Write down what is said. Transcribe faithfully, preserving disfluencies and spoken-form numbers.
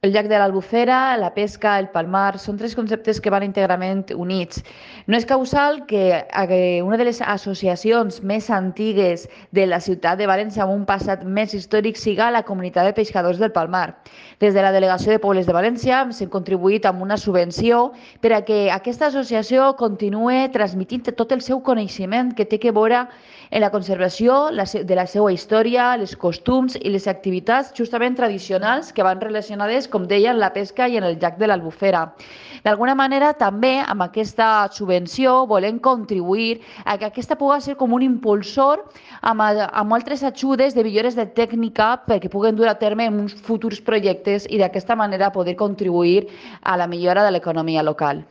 El llac de l'Albufera, la pesca, el palmar, són tres conceptes que van íntegrament units. No és causal que eh, una de les associacions més antigues de la ciutat de València amb un passat més històric siga la comunitat de pescadors del Palmar. Des de la Delegació de Pobles de València s'ha contribuït amb una subvenció per a que aquesta associació continue transmitint tot el seu coneixement que té que veure en la conservació de la seva història, els costums i les activitats justament tradicionals que van relacionades, com deia, en la pesca i en el llac de l'Albufera. D'alguna manera, també amb aquesta subvenció volem contribuir a que aquesta pugui ser com un impulsor amb, amb altres ajudes de millores de tècnica perquè puguen dur a terme uns futurs projectes i d'aquesta manera poder contribuir a la millora de l'economia local.